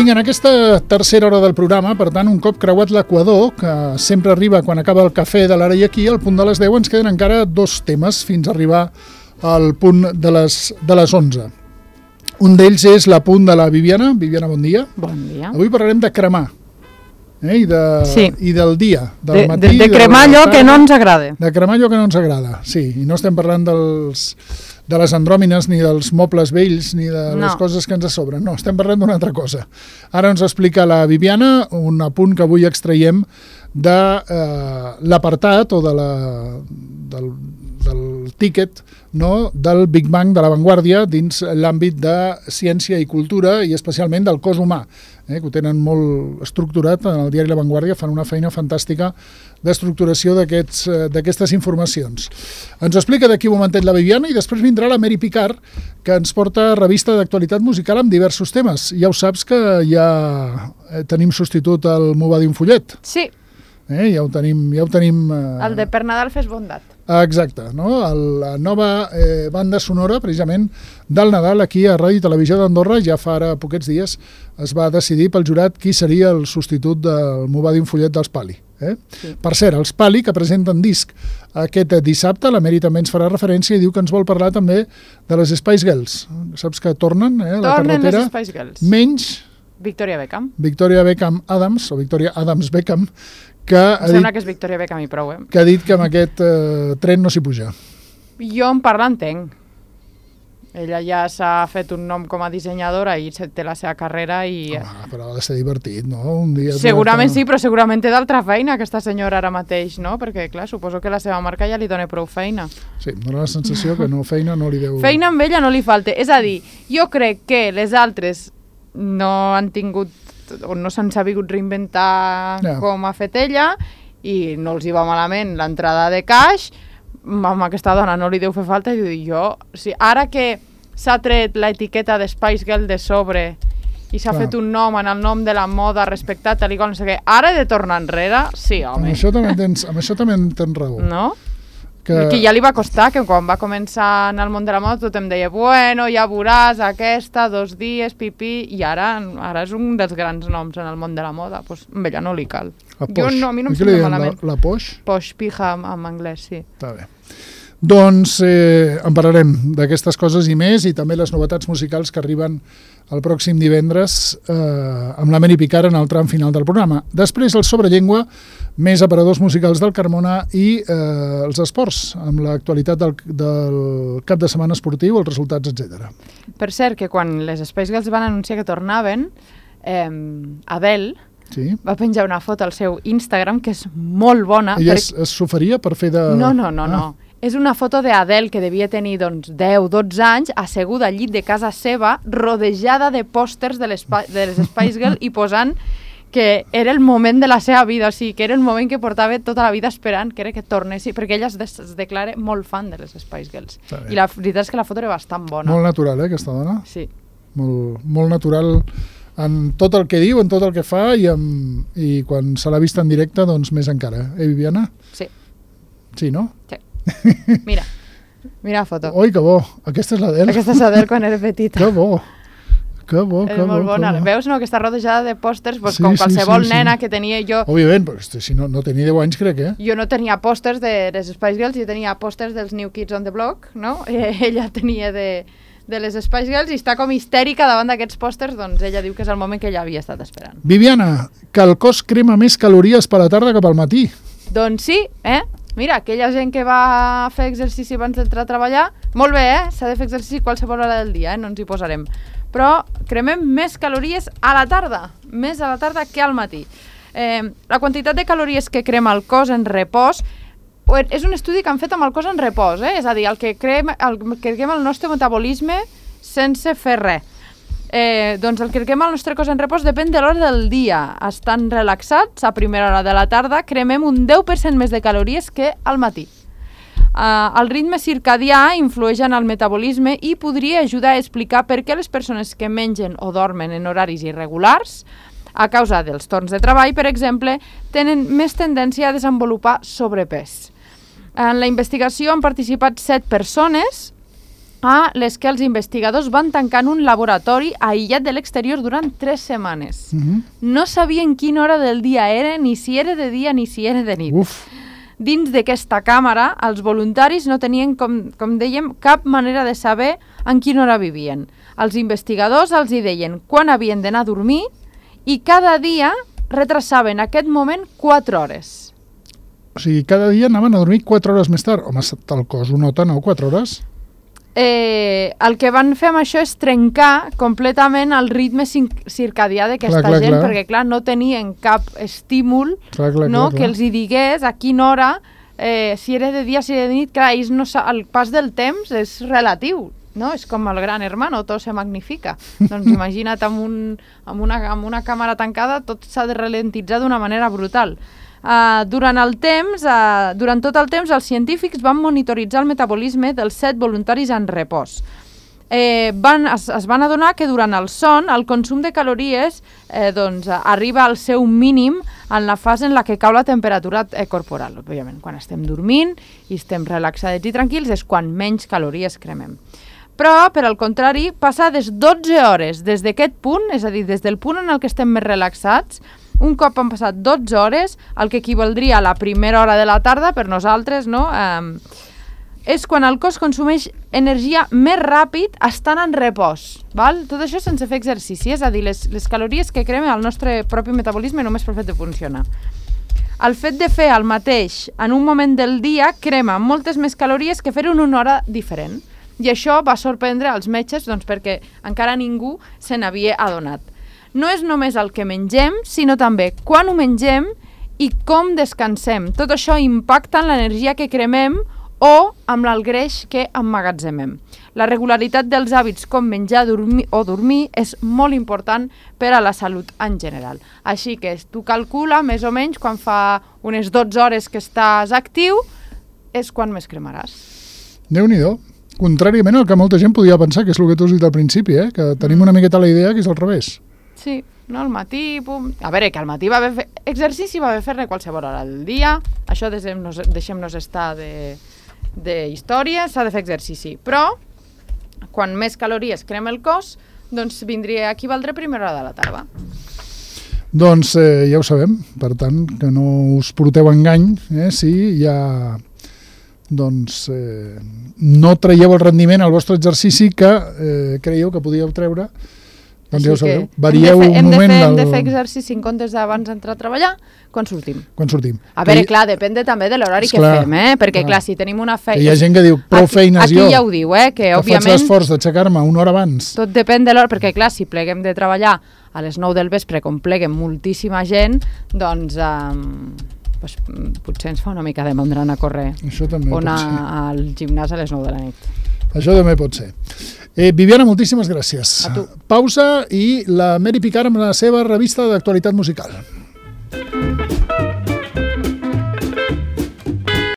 Vinga, en aquesta tercera hora del programa, per tant, un cop creuat l'equador, que sempre arriba quan acaba el cafè de l'ara i aquí, al punt de les 10 ens queden encara 2 temes fins a arribar al punt de les 11. Un d'ells és l'apunt de la Viviana. Viviana, bon dia. Bon dia. Avui parlarem de cremar. I del dia, del matí. De cremar allò que no ens agrada. De cremar allò que no ens agrada, sí. I no estem parlant de les andròmines, ni dels mobles vells, ni de les coses que ens sobren. No, estem parlant d'una altra cosa. Ara ens explica la Viviana un apunt que avui extraiem de l'apartat o del tíquet, no, del Big Bang de l'avantguàrdia dins l'àmbit de ciència i cultura i especialment del cos humà, que ho tenen molt estructurat en el diari La Vanguardia, fan una feina fantàstica d'estructuració d'aquestes informacions. Ens ho explica d'aquí un momentet la Viviana i després vindrà la Mary Picard, que ens porta revista d'actualitat musical amb diversos temes. Ja ho saps que ja tenim substitut al M'ho va dir un fullet. Sí. Ja ho tenim. El de Per Nadal fes bondat. Exacte, no? La nova banda sonora, precisament, del Nadal aquí a Ràdio i Televisió d'Andorra, ja fa ara poquets dies es va decidir pel jurat qui seria el substitut del M'ho va dir un fullet dels Pali. Sí. Per cert, els Pali, que presenten disc aquest dissabte, la Mary també ens farà referència i diu que ens vol parlar també de les Spice Girls. Saps que tornen a la carretera? Tornen les Spice Girls. Menys Victoria Beckham. Victoria Beckham Adams, o Victoria Adams Beckham, que sembla que és Victoria Beckham i prou, que ha dit que amb aquest tren no s'hi puja. Jo en parlar entenc. Ella ja s'ha fet un nom com a dissenyadora i té la seva carrera i... però ha de ser divertit, no? Un dia segurament sí, però segurament té d'altra feina aquesta senyora ara mateix, no? Perquè, clar, suposo que la seva marca ja li dona prou feina. Sí, em dona la sensació que feina no li deu... Feina amb ella no li falta. És a dir, jo crec que les altres no han tingut o no s'han sabut reinventar com ha fet ella i no els hi va malament l'entrada de caix. Amb aquesta dona no li deu fer falta i jo, ara que s'ha tret l'etiqueta de Spice Girl de sobre i s'ha fet un nom en el nom de la moda respectat, tal i qual, no sé què, ara he de tornar enrere? Sí, home. Amb això també tens raó. No? Que ja li va costar, que quan va començar en el món de la moda tothom deia, bueno, ja veuràs aquesta, 2 dies, pipí, i ara és un dels grans noms en el món de la moda, doncs amb ella no li cal. A mi no em sembla malament. La Posh? Posh, pija en anglès, sí. Està bé. Doncs en parlarem d'aquestes coses i més, i també les novetats musicals que arriben el pròxim divendres amb la Mary Picard en el tram final del programa. Després el Sobrellengua, més aparadors musicals del Carmona i els esports, amb l'actualitat del cap de setmana esportiu, els resultats, etc. Per cert, que quan les Spice Girls van anunciar que tornaven, Adele va penjar una foto al seu Instagram que és molt bona. Ella s'oferia per fer de... No. És una foto d'Adele que devia tenir 10-12 anys, asseguda al llit de casa seva, rodejada de pòsters de les Spice Girls i posant que era el moment de la seva vida, o sigui, que era el moment que portava tota la vida esperant que era que tornessi, perquè ella es declara molt fan de les Spice Girls. I la veritat és que la foto era bastant bona. Molt natural, aquesta dona? Sí. Molt natural en tot el que diu, en tot el que fa, i quan se l'ha vist en directe, doncs més encara. Viviana? Sí. Sí, no? Sí. Mira la foto. Oi, que bo. Aquesta és l'Adele. Aquesta és l'Adele quan era petita. Que bo. És molt bona. Veus, no, que està rodejada de pòsters, com qualsevol nena que tenia jo. Òbviament, però si no tenia 10 anys, crec, Jo no tenia pòsters de les Spice Girls, jo tenia pòsters dels New Kids on the Block, no? Ella tenia de les Spice Girls i està com histèrica davant d'aquests pòsters, doncs ella diu que és el moment que ella havia estat esperant. Viviana, que el cos crema més calories per la tarda que pel matí. Doncs sí, Mira, aquella gent que va fer exercici abans d'entrar a treballar, molt bé, s'ha de fer exercici qualsevol hora del dia, no ens hi posarem. Però cremem més calories a la tarda, més a la tarda que al matí. La quantitat de calories que crema el cos en repòs és un estudi que han fet amb el cos en repòs, és a dir, el que crema el nostre metabolisme sense fer res. Doncs el que crema el nostre cos en repòs depèn de l'hora del dia. Estan relaxats, a primera hora de la tarda cremem un 10% més de calories que al matí. El ritme circadià influeix en el metabolisme i podria ajudar a explicar per què les persones que mengen o dormen en horaris irregulars, a causa dels torns de treball, per exemple, tenen més tendència a desenvolupar sobrepès. En la investigació han participat 7 persones a les que els investigadors van tancar en un laboratori aïllat de l'exterior durant 3 setmanes. No sabien quina hora del dia era, ni si era de dia ni si era de nit. Uf. Dins d'aquesta càmera, els voluntaris no tenien, com dèiem, cap manera de saber en quina hora vivien. Els investigadors els hi deien quan havien d'anar a dormir i cada dia retrasaven aquest moment 4 hores. O sigui, cada dia anaven a dormir 4 hores més tard. Home, el cos ho nota, no? 4 hores? El que van fer amb això és trencar completament el ritme circadià d'aquesta gent, perquè clar, no tenien cap estímul que els hi digués a quina hora, si era de dia, si era de nit. Clar, el pas del temps és relatiu, no? És com el gran hermano, tot se magnifica. Doncs imagina't amb una càmera tancada, tot s'ha de ralentitzar d'una manera brutal. Durant tot el temps, els científics van monitoritzar el metabolisme dels 7 voluntaris en repòs. Es van adonar que durant el son el consum de calories arriba al seu mínim en la fase en la que cau la temperatura corporal. Òbviament, quan estem dormint i estem relaxats i tranquils és quan menys calories cremem. Però, per al contrari, passades 12 hores des d'aquest punt, és a dir, des del punt en el que estem més relaxats, un cop han passat 12 hores, el que equivaldria a la primera hora de la tarda per nosaltres, no? És quan el cos consumeix energia més ràpid estant en repòs. Val? Tot això sense fer exercici, és a dir, les calories que crema el nostre propi metabolisme només pel fet de funcionar. El fet de fer el mateix en un moment del dia crema moltes més calories que fer-ho en una hora diferent. I això va sorprendre als metges perquè encara ningú se n'havia adonat. No és només el que mengem, sinó també quan ho mengem i com descansem. Tot això impacta en l'energia que cremem o amb el greix que emmagatzemem. La regularitat dels hàbits com menjar o dormir és molt important per a la salut en general. Així que tu calcula més o menys quan fa unes 12 hores que estàs actiu és quan més cremaràs. Déu-n'hi-do. Contràriament al que molta gent podia pensar, que és el que tu has dit al principi, que tenim una miqueta la idea que és al revés. Sí, no, al matí... A veure, que al matí va haver exercici, va haver fer-ne qualsevol hora del dia, això deixem-nos estar d'història, s'ha de fer exercici. Però, quan més calories crema el cos, doncs vindria a equivaldre a primera hora de la tarda. Doncs ja ho sabem, per tant, que no us porteu engany, si hi ha... doncs no traieu el rendiment al vostre exercici que creieu que podíeu treure, doncs ja ho sabeu, varieu un moment... Hem de fer exercici en comptes d'abans d'entrar a treballar quan sortim. A veure, clar, depèn també de l'horari que fem, perquè clar, si tenim una feina... Hi ha gent que diu, prou feines jo, aquí ja ho diu, que òbviament... faig l'esforç d'aixecar-me una hora abans. Tot depèn de l'hora, perquè clar, si pleguem de treballar a les 9 del vespre, com pleguen moltíssima gent, doncs... potser ens fa una mica de mandra anar a córrer o anar al gimnàs a les 9 de la nit. Això també pot ser. Viviana, moltíssimes gràcies. A tu. Pausa i la Mary Picard amb la seva revista d'actualitat musical.